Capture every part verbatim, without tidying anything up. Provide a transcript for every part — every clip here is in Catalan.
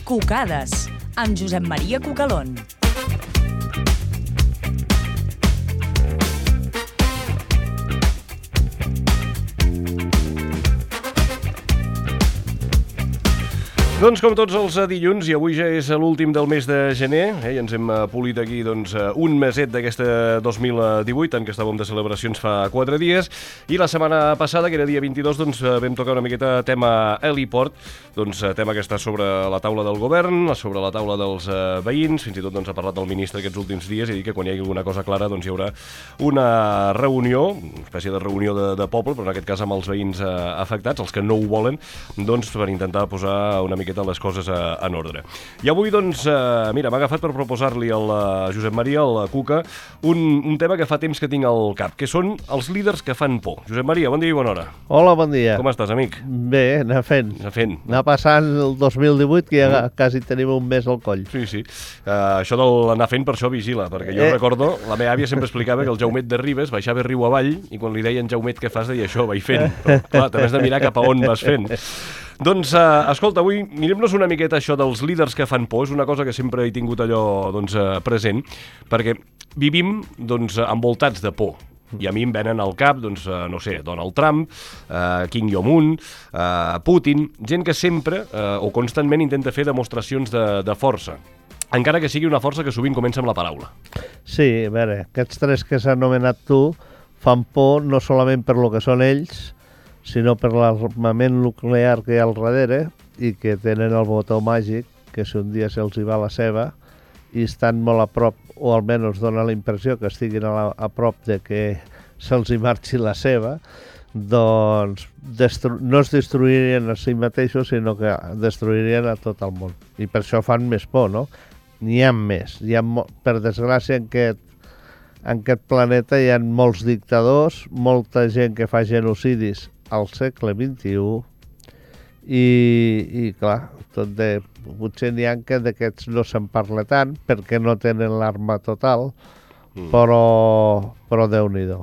Cucades, amb Josep Maria Cucalón. Doncs com tots els dilluns, i avui ja és l'últim del mes de gener, eh, i ens hem polit aquí doncs, un meset d'aquesta dos mil divuit, en què estàvem de celebracions fa quatre dies, i la setmana passada, que era dia vint-i-dos, doncs, vam tocar una miqueta tema heliport, doncs, tema que està sobre la taula del govern, sobre la taula dels eh, veïns, fins i tot doncs, ha parlat el ministre aquests últims dies, i dir que quan hi hagi alguna cosa clara doncs, hi haurà una reunió, una espècie de reunió de, de poble, però en aquest cas amb els veïns eh, afectats, els que no ho volen, doncs, per intentar posar una mica les coses en ordre. I avui, doncs, eh, mira, m'ha agafat per proposar-li al Josep Maria, al Cuca, un, un tema que fa temps que tinc al cap, que són els líders que fan por. Josep Maria, bon dia i bona hora. Hola, bon dia. Com estàs, amic? Bé, anar fent. Anar fent. Anar passant el dos mil divuit, que ja mm. quasi tenim un mes al coll. Sí, sí. Uh, això de l'anar fent, per això vigila, perquè jo eh. recordo, la meva àvia sempre explicava que el Jaumet de Ribes baixava riu avall i quan li deien Jaumet què fas, deia això, vaig fent. Però, clar, també has de mirar cap a on vas fent. Doncs, eh, escolta, avui mirem-nos una miqueta això dels líders que fan por. És una cosa que sempre he tingut allò doncs, eh, present, perquè vivim doncs, envoltats de por. I a mi em venen al cap, doncs, eh, no sé, Donald Trump, eh, Kim Jong-un, eh, Putin, gent que sempre eh, o constantment intenta fer demostracions de, de força. Encara que sigui una força que sovint comença amb la paraula. Sí, a veure, aquests tres que s'ha anomenat tu fan por no solament per lo que són ells, sinó per l'armament nuclear que hi ha al darrere i que tenen el botó màgic, que si un dia se'ls hi va la seva i estan molt a prop, o almenys dona la impressió que estiguin a, la, a prop de que se'ls hi marxi la seva, doncs destru- no es destruirien a si mateixos, sinó que destruirien a tot el món. I per això fan més por, no? N'hi ha més. Hi ha mo- per desgràcia, en aquest en aquest planeta hi ha molts dictadors, molta gent que fa genocidis al segle vint-i-u i, i clar, tot de, potser n'hi ha que d'aquests no se'n parla tant perquè no tenen l'arma total, mm. però, però Déu-n'hi-do.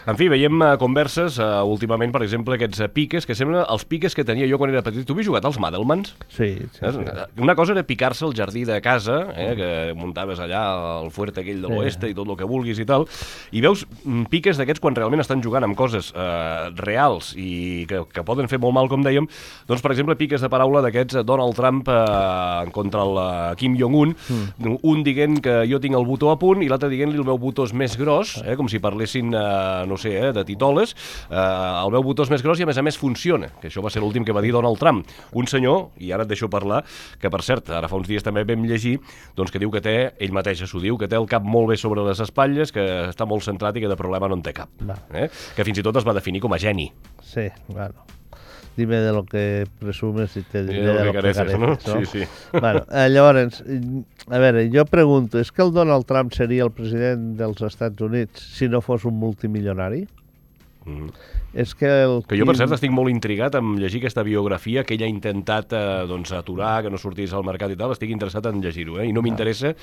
En fi, veiem uh, converses, uh, últimament, per exemple, aquests uh, piques, que semblen els piques que tenia jo quan era petit. Tu havies jugat als Madelmans? Sí, sí, sí. Una cosa era picar-se al jardí de casa, eh, que muntaves allà el fuerte aquell de l'oeste sí. i tot el que vulguis i tal, i veus piques d'aquests quan realment estan jugant amb coses uh, reals i que, que poden fer molt mal, com dèiem, doncs, per exemple, piques de paraula d'aquests Donald Trump uh, contra el uh, Kim Jong-un, mm. un dient que jo tinc el botó a punt i l'altre dient-li el meu botó és més gros, eh, com si parlessin, uh, no sé, eh, de titoles, eh, el meu botó és més gros i a més a més funciona, que això va ser l'últim que va dir Donald Trump. Un senyor, i ara et deixo parlar, que per cert, ara fa uns dies també vam llegir, doncs que diu que té, ell mateix s'ho diu, que té el cap molt bé sobre les espatlles, que està molt centrat i que de problema no en té cap. Eh? Que fins i tot es va definir com a geni. Sí, bueno. Dime de lo que presumes i te diré de lo que careces, no? no? Sí, sí. Bueno, eh, llavors, a veure, jo pregunto, és que el Donald Trump seria el president dels Estats Units si no fos un multimilionari? Mm. És que, el que jo, per cert, estic molt intrigat en llegir aquesta biografia que ell ha intentat eh, doncs, aturar, que no sortís al mercat i tal. Estic interessat en llegir-ho, eh? I no m'interessa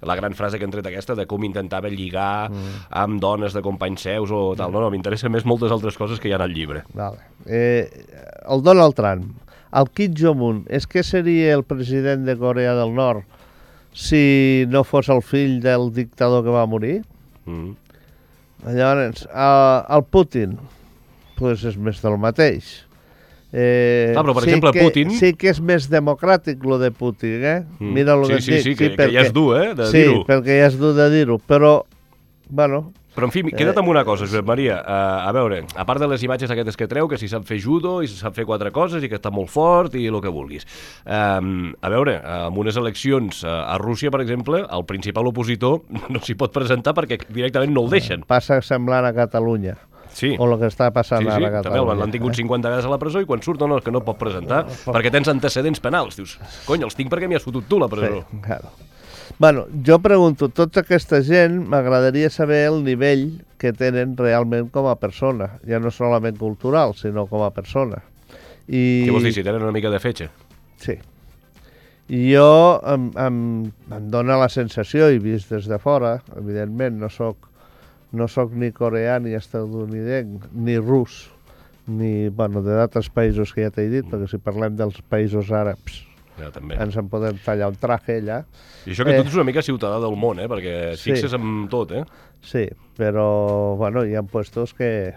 la gran frase que han tret aquesta de com intentava lligar mm. amb dones de companys seus o tal. No, no, m'interessa més moltes altres coses que hi ha al llibre. Vale. Eh, el Donald Trump, el Kim Jong-un, és que seria el president de Corea del Nord si no fos el fill del dictador que va morir? Mm. Llavors, el, el Putin, pues és més del mateix. Eh, ah, però per sí exemple que, Putin... Sí que és més democràtic lo de Putin, eh? Mm. Mira lo sí, que sí, dic. Sí, que, sí, perquè, que ja és dur, eh, de sí, dir-ho. Sí, perquè ja és dur de dir-ho, però, bueno... Però, en fi, queda't amb una cosa, Josep Maria. Uh, a veure, a part de les imatges aquestes que treu, que si sap fer judo i si sap fer quatre coses i que està molt fort i el que vulguis. Um, a veure, amb unes eleccions uh, a Rússia, per exemple, el principal opositor no s'hi pot presentar perquè directament no el deixen. Passa semblant a Catalunya. Sí. O el que està passant sí, sí, ara a Catalunya. També l'han tingut cinquanta vegades a la presó i quan surt no, no, que no pot presentar no, no, perquè tens antecedents penals. Dius, cony, els tinc perquè m'hi has fotut tu la presó. Sí, claro. Bueno, jo pregunto, tota aquesta gent m'agradaria saber el nivell que tenen realment com a persona, ja no solament cultural, sinó com a persona. I... Què vols dir, si tenen una mica de fetge? Sí. I jo em, em, em dóna la sensació, i vist des de fora, evidentment, no soc, no soc ni coreà, ni estatunidenc, ni rus, ni, bueno, d'altres països que ja t'he dit, perquè si parlem dels països àrabs, Ja, també. Ens en podem tallar un traje allà. I això que Eh, tu ets una mica ciutadà del món, eh? Perquè et Sí. fixes en tot, eh? Sí, però bueno, hi ha puestos que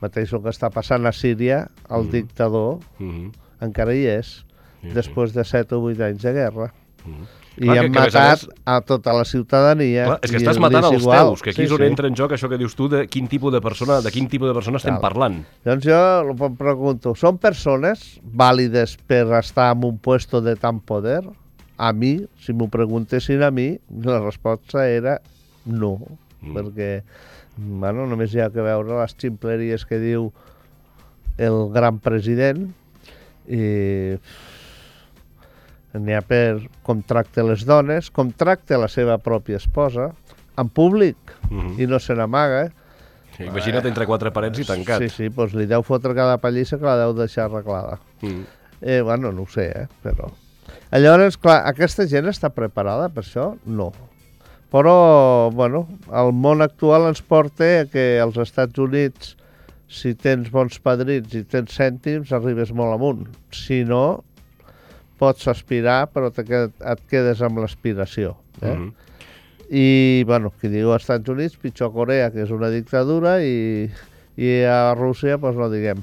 mateix el que està passant a Síria, el Mhm. dictador Mhm. encara hi és, Sí, sí. després de set o vuit anys de guerra. Mhm. I Clar, han que- que a més a matat més- a tota la ciutadania. Clar, és que i estàs li matant és els igual. teus, que aquí Sí, és on sí. entra en joc això que dius tu de quin tipus de persona, de quin tipus de persona estem Cal. parlant. Doncs jo em pregunto, són persones vàlides per estar en un puesto de tant poder? A mi, si m'ho preguntessin a mi, la resposta era no, Mm. perquè bueno, només hi ha que veure les ximpleries que diu el gran president i n'hi ha per com tracta les dones, com tracta la seva pròpia esposa, en públic, Mhm. i no se n'amaga. Imagina't entre quatre parets i tancat. Sí, sí, doncs li deu fotre cada pallissa que la deu deixar arreglada. Mm. Eh, bueno, no ho sé, eh, però... Llavors, clar, aquesta gent està preparada per això? No. Però, bueno, el món actual ens porta a que als Estats Units, si tens bons padrins i tens cèntims, arribes molt amunt. Si no, pots aspirar, però te qued, et quedes amb l'aspiració. Eh? Mhm. I, bueno, qui diu als Estats Units, pitjor Corea, que és una dictadura, i, i a Rússia, doncs no diguem.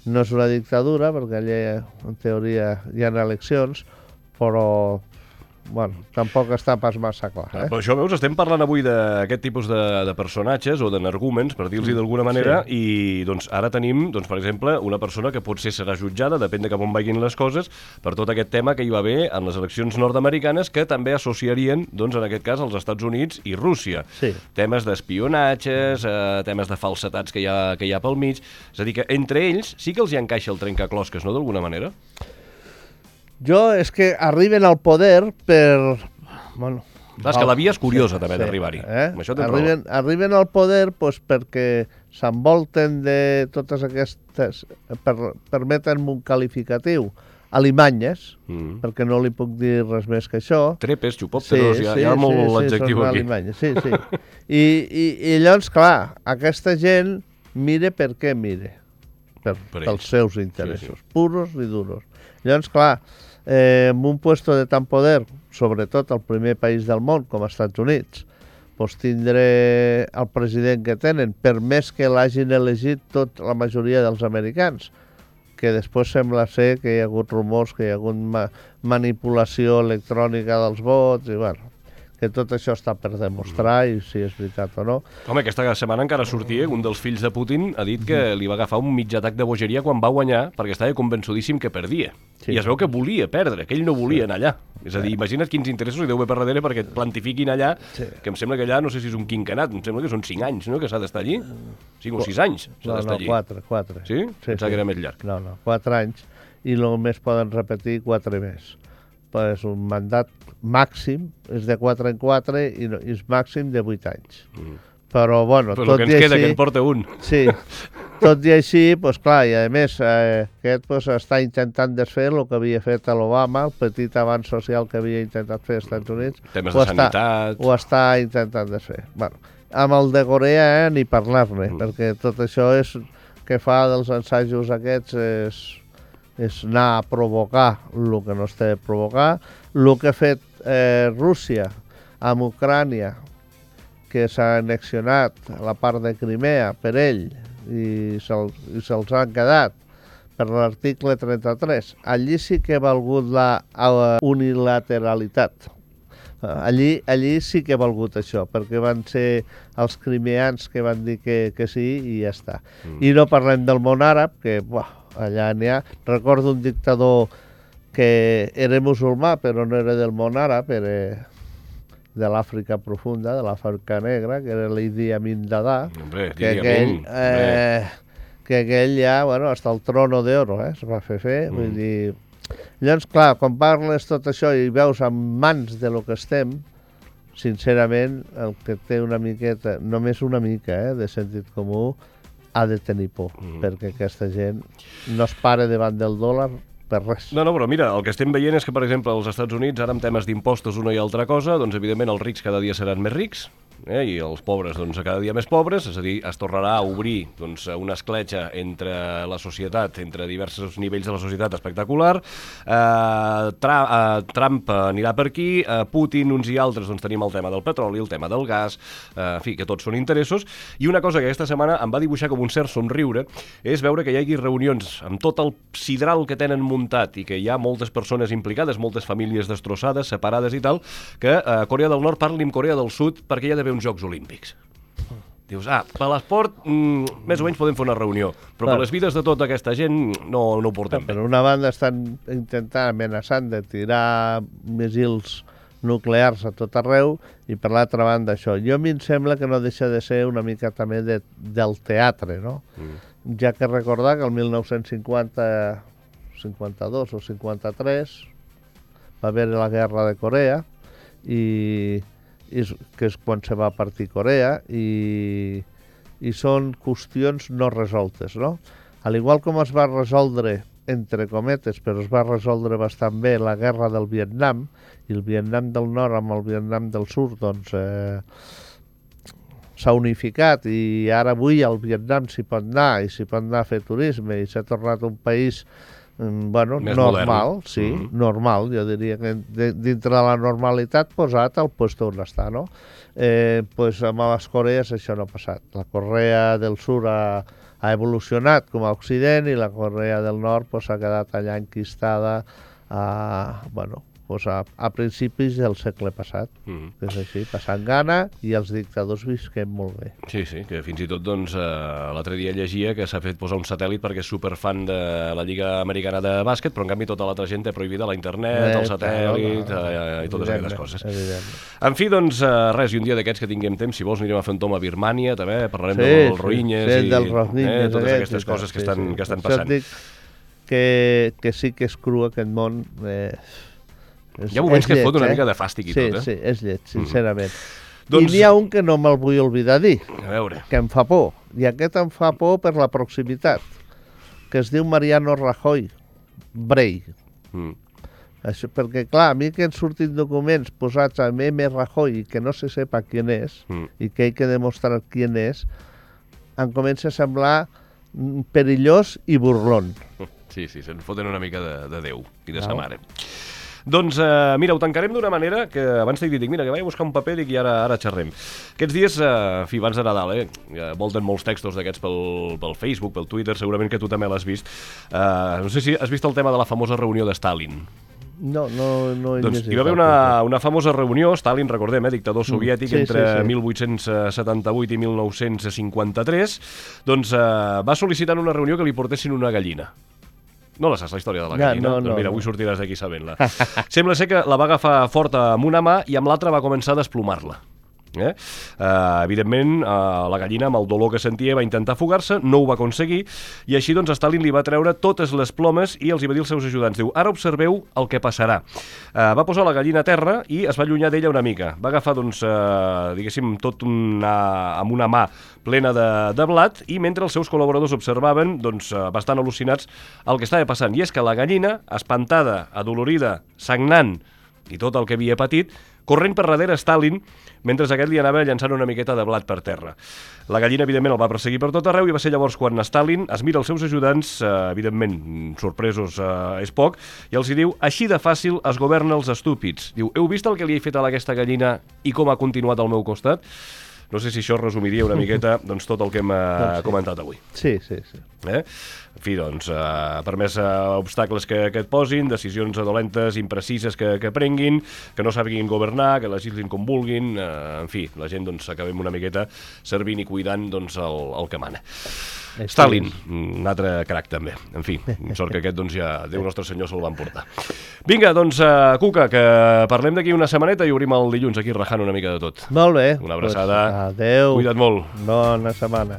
No és una dictadura, perquè allà, en teoria, hi ha eleccions, però, bueno, tampoc està pas massa clar. Ah, Eh? però això, veus, estem parlant avui d'aquest tipus de, de personatges o d'energúmens, per dir-los d'alguna manera, Sí. i doncs ara tenim, doncs, per exemple, una persona que potser serà jutjada, depèn de cap on vagin les coses, per tot aquest tema que hi va haver en les eleccions nord-americanes, que també associarien, doncs, en aquest cas, els Estats Units i Rússia. Sí. Temes d'espionatges, eh, temes de falsetats que hi, ha, que hi ha pel mig. És a dir, que entre ells sí que els hi encaixa el trencaclosques, no?, d'alguna manera? Jo és que arriben al poder per... Bueno, Clar, és que la via és curiosa, també, d'arribar-hi. Eh? Amb això tens Arriben, arriben al poder doncs, perquè s'envolten de totes aquestes... Per, permeten un qualificatiu. Alimanyes, Mm. perquè no li puc dir res més que això. Trepes, xupòpteros, hi ha, hi ha molt l'adjectiu són aquí. alimanyes, sí, sí. I, i, I llavors, clar, aquesta gent mire per què mire. Per, Per pels ells. seus interessos, Sí, sí. puros i duros. Llavors, clar, eh, en un puesto de tant poder, sobretot el primer país del món, com els Estats Units, doncs tindre el president que tenen, per més que l'hagin elegit tot la majoria dels americans, que després sembla ser que hi ha hagut rumors, que hi ha hagut ma manipulació electrònica dels vots, i bueno, que tot això està per demostrar i si és veritat o no. Home, aquesta setmana encara sortia, un dels fills de Putin ha dit que li va agafar un mig atac de bogeria quan va guanyar perquè estava convençudíssim que perdia. Sí. I es veu que volia perdre, que ell no volia anar allà. És a dir, imagina't quins interessos hi deu haver per darrere perquè et plantifiquin allà, Sí. que em sembla que allà, no sé si és un quinquenat, em sembla que són cinc anys, no?, que s'ha d'estar allí. cinc o sis anys s'ha No, d'estar no, allí. quatre, quatre. Sí? Pensava que era més llarg. No, no, quatre anys, i només poden repetir quatre més. Però és un mandat màxim, és de quatre en quatre, i, no, i és màxim de vuit anys. Mm. Però, bueno, Però el tot que i ens queda, així... que en porta un. Sí, tot i així, doncs clar, i a més, eh, aquest pues, està intentant desfer el que havia fet a l'Obama, el petit avanç social que havia intentat fer als Estats Units. Temes ho de està, sanitat. Ho està intentant desfer. Bueno, amb el de Corea, eh, ni parlar-ne, Mm. perquè tot això és que fa dels ensajos aquests és, és anar a provocar el que no es té de provocar. El que ha fet eh, Rússia amb Ucrània, que s'ha annexionat la part de Crimea per ell i se'ls se se'ls han quedat per l'article trenta-tres. Allí sí que ha valgut la uh, unilateralitat. Allí, allí sí que ha valgut això, perquè van ser els crimeans que van dir que, que sí i ja està. Mm. I no parlem del món àrab, que buah, allà n'hi ha. Recordo un dictador que era musulmà, però no era del món àrab, era de l'Àfrica profunda, de l'Àfrica negra, que era l'Idi Amin Dada, Hombre, que Idi aquell, Amin, eh, que aquell ja, bueno, hasta el trono d'oro, eh, es va fer fer, Mm. vull dir... Llavors, clar, quan parles tot això i veus en mans de lo que estem, sincerament, el que té una miqueta, només una mica, eh, de sentit comú, ha de tenir por, Mm. perquè aquesta gent no es para davant del dòlar per res. No, no, però mira, el que estem veient és que, per exemple, als Estats Units, ara amb temes d'impostos una i altra cosa, doncs evidentment els rics cada dia seran més rics, eh, i els pobres doncs, cada dia més pobres, és a dir, es tornarà a obrir doncs, una escletxa entre la societat, entre diversos nivells de la societat espectacular. Eh, Tra eh, Trump anirà per aquí, eh, Putin, uns i altres, doncs tenim el tema del petroli, el tema del gas, eh, en fi, que tots són interessos. I una cosa que aquesta setmana em va dibuixar com un cert somriure és veure que hi hagi reunions amb tot el sidral que tenen muntat i que hi ha moltes persones implicades, moltes famílies destrossades, separades i tal, que eh, Corea del Nord parli amb Corea del Sud perquè hi ha d'haver uns Jocs Olímpics. Dius, ah, per l'esport mm, més o menys podem fer una reunió, però per les vides de tota aquesta gent no, no ho portem bé. Per una banda estan intentant, amenaçant de tirar missils nuclears a tot arreu i per l'altra banda això. Jo a mi em sembla que no deixa de ser una mica també de, del teatre, no? Mm. Ja que recordar que el mil nou-cents cinquanta, cinquanta-dos o cinquanta-tres va haver la guerra de Corea i, i que és quan se va partir Corea i, i són qüestions no resoltes, no? Al igual com es va resoldre, entre cometes, però es va resoldre bastant bé la guerra del Vietnam i el Vietnam del Nord amb el Vietnam del Sud, doncs eh, s'ha unificat i ara avui al Vietnam s'hi pot anar i s'hi pot anar a fer turisme i s'ha tornat un país bueno, més normal, modern. sí, Mm-hmm. normal, jo diria que de, dintre de la normalitat posat al lloc on està, no? Eh, pues amb les Corees això no ha passat. La Corea del Sud ha, ha evolucionat com a Occident i la Corea del Nord pues, ha quedat allà enquistada a, bueno, pues a, a principis del segle passat. Mm. És així, passant gana i els dictadors visquem molt bé. Sí, sí, que fins i tot doncs, eh, l'altre dia llegia que s'ha fet posar un satèl·lit perquè és superfan de la Lliga Americana de bàsquet, però en canvi tota l'altra gent té prohibida la internet, Eh, el satèl·lit claro, eh, i totes evidentment, aquestes coses. evidentment. En fi, doncs, eh, res, i un dia d'aquests que tinguem temps, si vols anirem a fer un tom a Birmània, també, parlarem Sí, dels sí, roïnyes sí, i dels roïnyes eh, totes aquests aquestes i tal, coses que sí, estan, sí. que estan Per això passant. et dic que, que sí que és cru aquest món. Eh, és, Hi ha moments és que et lleig, fot una eh? mica de fàstic i sí, tot, eh? Sí, és lleig, sincerament. Mm. Doncs- I n'hi ha un que no me'l vull oblidar dir, A veure, que em fa por, i aquest em fa por per la proximitat, que es diu Mariano Rajoy Brey. mm. Això, perquè, clar, a mi que han sortit documents posats a M. Rajoy i que no se sepa qui és Mm. i que hay que demostrar qui és, em comença a semblar mm, perillós i burlón. Sí, sí, se'n foten una mica de, de Déu i de sa Au. mare. Doncs, eh, mira, ho tancarem d'una manera que abans t'he dit, dic, mira, que vaig a buscar un paper dic, i ara, ara xerrem. Aquests dies, eh, en fi, abans de Nadal, eh, eh, volten molts textos d'aquests pel, pel Facebook, pel Twitter, segurament que tu també l'has vist. Eh, no sé si has vist el tema de la famosa reunió de Stalin. No, no, no he Doncs llegit hi va haver el una, paper. una famosa reunió, Stalin, recordem, eh, dictador soviètic, Sí, sí, entre sí. mil vuit-cents setanta-vuit i mil nou-cents cinquanta-tres, doncs eh, va sol·licitar en una reunió que li portessin una gallina. No la saps, la història de la Ja, gallina? no, doncs no, mira, no. avui sortiràs d'aquí sabent-la. Sembla ser que la va agafar forta amb una mà i amb l'altra va començar a desplomar-la. Eh? Uh, evidentment, uh, la gallina, amb el dolor que sentia, va intentar fugar-se, no ho va aconseguir, i així doncs Stalin li va treure totes les plomes i els hi va dir als seus ajudants, diu, ara observeu el que passarà. Uh, va posar la gallina a terra i es va allunyar d'ella una mica. Va agafar, doncs, uh, diguéssim, tot una, amb una mà plena de, de blat, i mentre els seus col·laboradors observaven, doncs, uh, bastant al·lucinats el que estava passant. I és que la gallina, espantada, adolorida, sagnant, i tot el que havia patit, corrent per darrere Stalin, mentre aquest li anava llançant una miqueta de blat per terra. La gallina, evidentment, el va perseguir per tot arreu i va ser llavors quan Stalin es mira els seus ajudants, eh, evidentment, sorpresos eh, és poc, i els hi diu, així de fàcil es governa els estúpids. Diu, heu vist el que li he fet a aquesta gallina i com ha continuat al meu costat? No sé si això resumiria una miqueta doncs, tot el que hem eh, Doncs sí. comentat avui. Sí, sí, sí. Eh? En fi, doncs, eh, per més eh, obstacles que, que et posin, decisions dolentes, imprecises que, que prenguin, que no sàpiguin governar, que legislin com vulguin, eh, en fi, la gent doncs acabem una miqueta servint i cuidant doncs, el, el que mana. Així Stalin, és. un altre crac també. En fi, sort que aquest doncs ja Déu Nostre Senyor se'l va emportar. Vinga, doncs, uh, Cuca, que parlem d'aquí una setmaneta i obrim el dilluns aquí rajant una mica de tot. Molt bé. Una abraçada. Pues, adeu. Cuida't molt. Bona setmana.